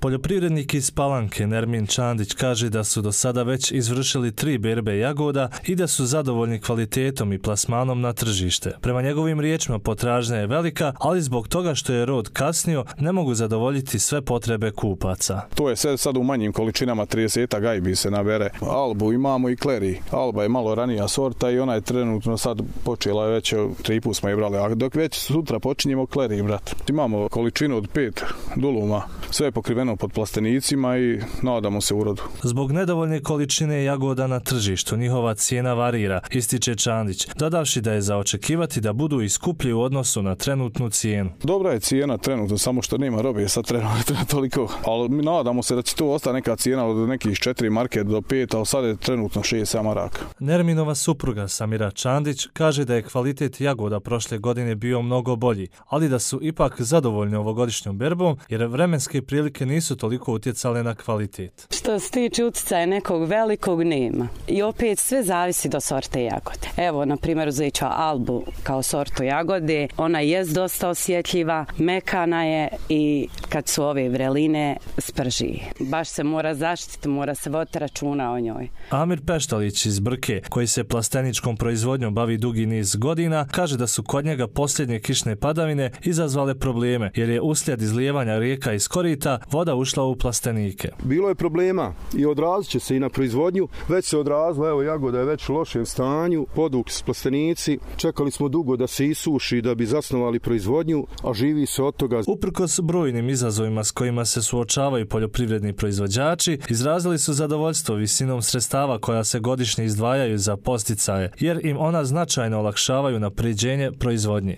Poljoprivrednik iz Palanke Nermin Čandić kaže da su do sada već izvršili 3 berbe jagoda i da su zadovoljni kvalitetom i plasmanom na tržište. Prema njegovim riječima potražnja je velika, ali zbog toga što je rod kasnio ne mogu zadovoljiti sve potrebe kupaca. To je sad u manjim količinama, 30 gajbi se nabere. Albu imamo i kleri. Alba je malo ranija sorta i ona je trenutno sad počela već, 3 put smo je brali, a dok već sutra počinjemo kleri, brat. Imamo količinu od 5 duluma, sve je pokriveno pod plastenicima i nadamo se urodu. Zbog nedovoljne količine jagoda na tržištu njihova cijena varira, ističe Čandić, dodavši da je za očekivati da budu i skuplji u odnosu na trenutnu cijenu. Dobra je cijena trenutno, samo što nema robe sad trenutno toliko, ali mi nadamo se da će to ostati neka cijena od nekih 4 marke do 5, ali sad je trenutno 6 maraka. Nerminova supruga Samira Čandić kaže da je kvalitet jagoda prošle godine bio mnogo bolji, ali da su ipak zadovoljni ovogodišnjom berbom jer vremenske prilike nisu toliko utjecale na kvalitet. Što se tiče utjecaja nekog velikog nema. I opet sve zavisi do sorte jagode. Evo, na primjer, uzet ću Albu kao sortu jagode. Ona je dosta osjetljiva, mekana je i kad su ove vreline sprži. Baš se mora zaštiti, mora se voditi računa o njoj. Amir Peštalić iz Brke, koji se plasteničkom proizvodnjom bavi dugi niz godina, kaže da su kod njega posljednje kišne padavine izazvale probleme, jer je uslijed izlijevanja rijeka iz korita voda ušla u plastenike. Bilo je problema i odrazit će se i na proizvodnju. Već se odrazila, evo jagoda je već u lošem stanju, poduk s plastenici. Čekali smo dugo da se isuši da bi zasnovali proizvodnju, a živi se od toga. Uprkos brojnim izazovima s kojima se suočavaju poljoprivredni proizvođači, izrazili su zadovoljstvo visinom sredstava koja se godišnje izdvajaju za podsticaje, jer im ona značajno olakšavaju napređenje proizvodnje.